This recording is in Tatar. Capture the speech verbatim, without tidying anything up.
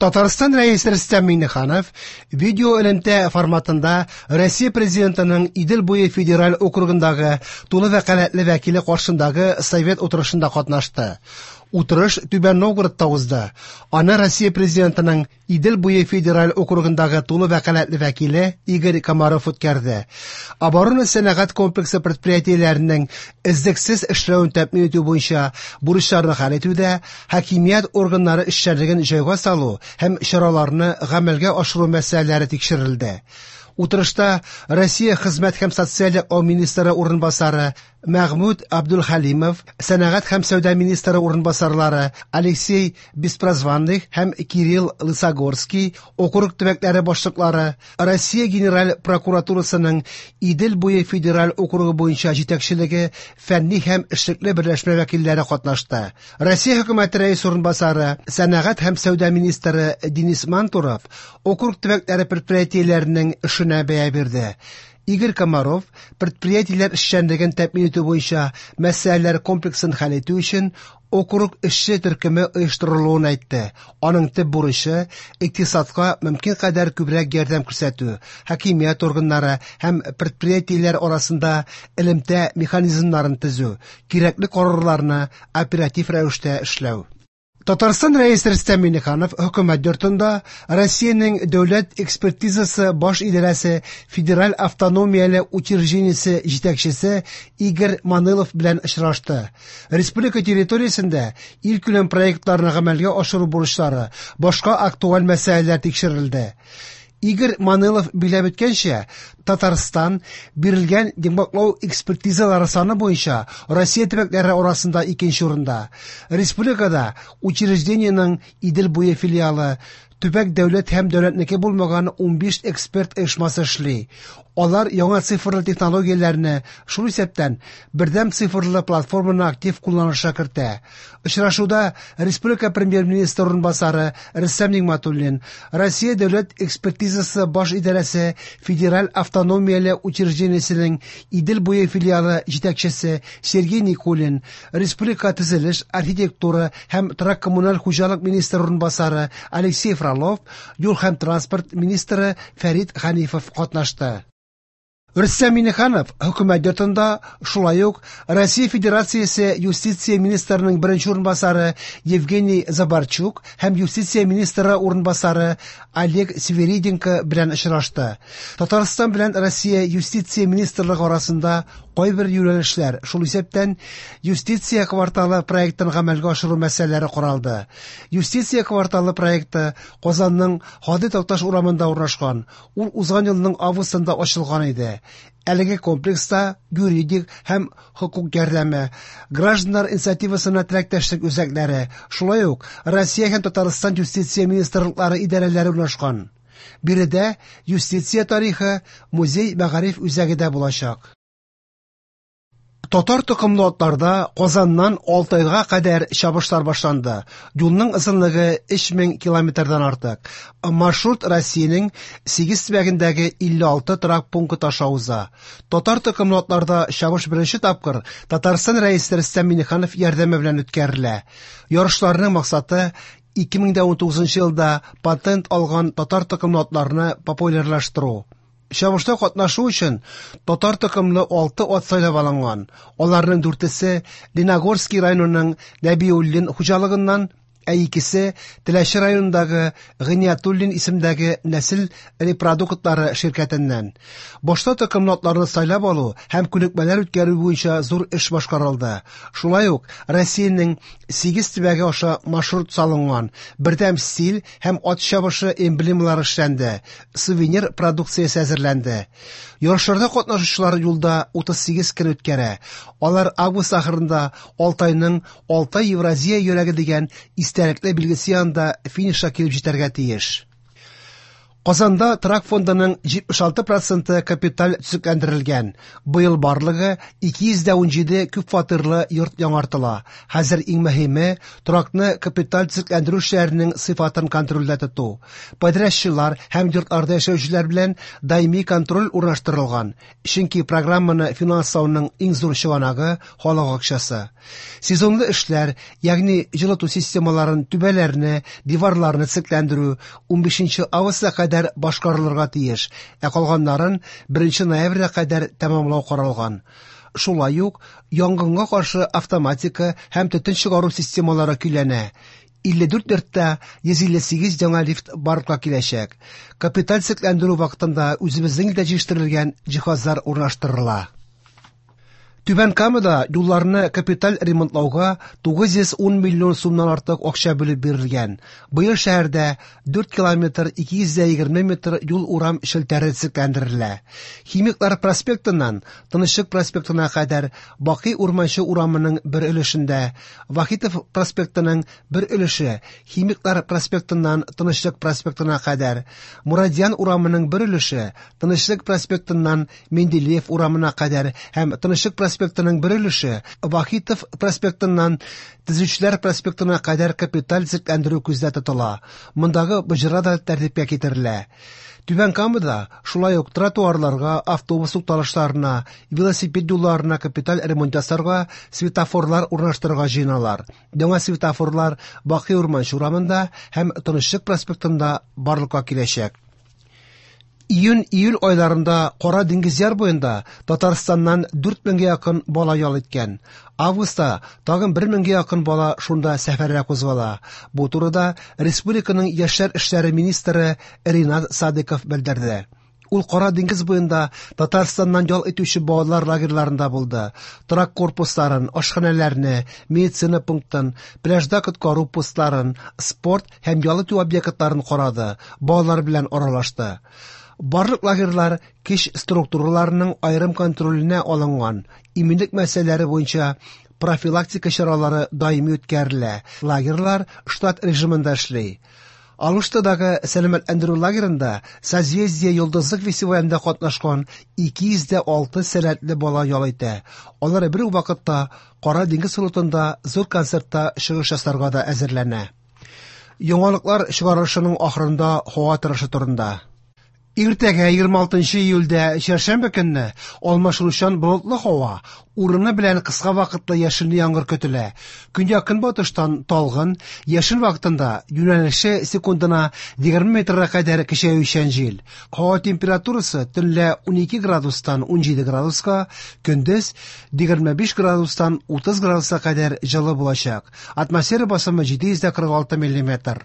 Татарстан Рәисе Рөстәм Миңнеханов видео элемтә форматында Россия Президентының Идел буе федераль округындагы тулы вәкаләтле вәкиле каршындагы совет утырышында катнашты. Утырыш Түбән Новгородта узды. Аны Россия Президентының Идел буе федераль округындагы тулы вәкаләтле вәкиле Игорь Комаров үткәрде. Оборона сәнәгать комплексы предприятиеләренең эзлексез эшләвен тәэмин итү буенча бурычларны хәл итүдә хакимият органнары эшчәнлеген җайга салу һәм чараларны гамәлгә ашыру мәсьәләләре тикшерелде. Утырышта Россия Хезмәт һәм социаль яклау министры урынбасары Мәгъмүд Абдулхалимов, сәнәгать һәм сәүдә министры урынбасарлары Алексей Беспрозванных һәм Кирилл Лысогорский, округ төбәкләре башлыклары, Россия Генераль прокуратурасының Идел буе федераль округы буенча җитәкчелеге, фәнни һәм эшлекле берләшмә вәкилләре катнашты. Россия хөкүмәте рәис урынбасары, сәнәгать һәм сәүдә министры Денис Мантуров округ төбәкләре предприятиеләренең эшенә бәя бирде. Игорь Комаров предприятиеләр эшчәнлеген тәэмин итү буенча мәсьәләләр комплексын хәл итү өчен округ эшче төркеме оештырылуын әйтте. Аның төп бурычы икътисадка мөмкин кадәр күбрәк ярдәм күрсәтү, хакимият органнары һәм предприятиеләр арасында элемтә механизмнарын төзү, кирәкле карарларны оператив рәвештә эшләү. Татарстан Рәисе Рөстәм Миңнеханов хөкүмәт йортында Россиянең дәүләт экспертизасы баш идарәсе федераль автономияле учреждениесе җитәкчесе Игорь Манылов белән очрашты. Республика территориясендә илкүләм проектларны гамәлгә ашыру бурычлары, башка актуаль мәсьәләләр тикшерелде. Игорь Манылов биләп үткәнчә, Татарстан бирелгән йомгаклау экспертизалары саны буенча Россия төбәкләре арасында икенче урында. Республикада учреждениенең Идел буе филиалы, төбәк дәүләт һәм дәүләтнеке булмаган унбиш эксперт оешмасы эшли. Алар яңа цифрлы технологияләрне, шул исәптән бердәм цифрлы платформаны актив кулланышка кертә. Очрашуда республика премьер-министры урынбасары Рөстәм Нигъмәтуллин, Россия дәүләт экспертизасы баш идарәсе федераль автономияле учреждениесенең Идел буе филиалы җитәкчесе Сергей Никулин, республика төзелеш, архитектура һәм торак-коммуналь хуҗалык министры урынбасары Алексей Фролов, юл һәм транспорт министры Фәрит Ханифов катнашты. Рөстәм Миңнеханов хөкүмәт йортында шулай ук Россия Федерациясе юстиция министрының беренче урынбасары Евгений Забарчук һәм юстиция министры урынбасары Олег Свириденко белән очрашты. Татарстан белән Россия юстиция министрлыгы арасында кайбер юнәлешләр, шул исәптән юстиция кварталы проектын гамәлгә ашыру мәсьәләләре каралды. Юстиция кварталы проекты Казанның Һади Такташ урамында урнашкан. Ул узган елның августында ачылган иде. Әлеге комплекста юридик һәм хокук ярдәме, гражданнар инициативасына теләктәшлек үзәкләре, шулай ук Россия һәм Татарстан юстиция министрлыклары идарәләре урнашкан. Биредә юстиция тарихы музей мәгариф үзәге дә булачак. Татар токымлы атларда Казаннан Алтайга кадәр чабышлар башланды. Юлның озынлыгы өч мең километрдан артык. Маршрут Россиянең сигез төбәгендәге илле алты торак пункты аша уза. Татар токымлы атларда чабыш беренче тапкыр Татарстан Рәисе Рөстәм Миңнеханов ярдәме белән үткәрелә. Ярышларның максаты ике мең дә унтугызынчы елда патент алган татар токымлы атларны популярлаштыру. Чабышта катнашу өчен татар токымлы алты ат сайлап алынган. Аларның дүртесе Леногорский районының Нәбиуллин хуҗалыгыннан, ә икесе Теләче районындагы Гыйниятуллин исемдәге нәсел репродуктлары ширкәтеннән. Башта токымлы атларны сайлап алу һәм күнекмәләр үткәрү буенча зур эш башкарылды. Шулай ук Россиянең сигез төбәге аша маршрут салынган, бердәм стиль һәм ат чабышы эмблемалары эшләнде, сувенир продукциясе әзерләнде. Ярышларда катнашучылар юлда утыз сигез көн үткәрә. Алар август ахырында Алтайның Алтай Евразия йөрәге дигән истәлекле билгесе янында финишка килеп җитәргә тиеш. Казанда торак фондының җитмеш алты проценты капиталь төзекләндерелгән. Быел барлыгы ике йөз дә унҗиде күп фатирлы йорт яңартыла. Хәзер иң мөһиме торакны капиталь төзекләндерү эшләренең сыйфатын контрольдә тоту. Подрядчылар һәм йортларда яшәүчеләр белән даими контроль урнаштырылган. Чөнки программаны финанслауның иң зур чыганагы халык акчасы. Сезонлы эшләр, ягъни җылыту системаларын, түбәләрне, диварларны төзекләндерү унбишенче августка кадәр башкарылырга тиеш, ә калганнарын беренче ноябрьгә кадәр тәмамлау каралган. Шулай ук янгынга каршы автоматика һәм төтен чыгару системалары көйләнә. илле дүрт йортта йөз илле сигез яңа лифт барлыкка киләчәк. Капиталь төзекләндерү вакытында үзебезнең илдә җитештерелгән җиһазлар урнаштырыла. Түбән Камада юлларны капиталь ремонтлауга тугыз йөз ун миллион сумнан артык акча бүлеп бирелгән. Быел шәһәрдә дүрт километр ике йөз дә егерме метр юл урам челтәре төзекләндерелә. Химиклар проспектыннан Тынычлык проспектына кадәр Бакый Урманчы урамының бер өлешендә, Вахитов проспектының бер өлеше Химиклар проспектыннан Тынычлык проспектына кадәр, Мурадьян урамының бер өлеше Тынычлык проспектыннан Менделеев урамына кадәр һәм Тынычлык проспектының бер өлеше Вахитов проспектыннан Төзүчеләр проспектына кадәр капиталь төзекләндерү күздә тотыла. Мондагы боҗра да тәртипкә китерелә. Түбән Камада шулай ук тротуарларга, автобус тукталышларына, велосипед юлларына капиталь ремонт ясарга, светофорлар урнаштырырга җыеналар. Яңа светофорлар Бакый Урманчы урамында һәм Тынычлык проспектында барлыкка киләчәк. Июнь-июль айларында Кара диңгез яр буенда Татарстаннан дүрт меңгә якын бала ял иткән. Августта тагын бер меңгә якын бала шунда сәфәргә кузгала. Бу турыда республиканың яшьләр эшләре министры Ринат Садыков белдерде. Ул Кара диңгез буенда Татарстаннан ял итүче балалар лагерьларында булды. Торак корпусларын, ашханәләрне, медицина пунктын, пляжда коткару постларын, спорт һәм ял итү объектларын карады, балалар белән аралашты. Барлык лагерьлар кеш структураларының аерым контроленә алынган. Иминлек мәсьәләләре буенча профилактика чаралары даими үткәрелә. Лагерьлар штат режимында эшли. Алуштадагы сәламәтләндерү лагерында Созвездие йолдызлык фестивалендә катнашкан ике йөз дә алты сәләтле бала ял итә. Алар бер үк вакытта Кара диңгез флотында зур концертта чыгыш ясарга да әзерләнә. Яңалыклар чыгарылышының ахырында һава торышы турында. Иртәгә егерме алтынчы июльдә чәршәмбе көнне алмашынучан болытлы һава, урыны белән кыска вакытлы яшенле яңгыр көтелә. Көньяк-көнбатыштан талгын, яшен вакытында юнәлеше секундына егерме метрга кадәр көчәючән җил. Һава температурасы төнлә унике градустан унҗиде градуска, көндез егерме биш градустан утыз градуска кадәр җылы булачак. Атмосфера басымы җиде йөз дә кырык алты миллиметр.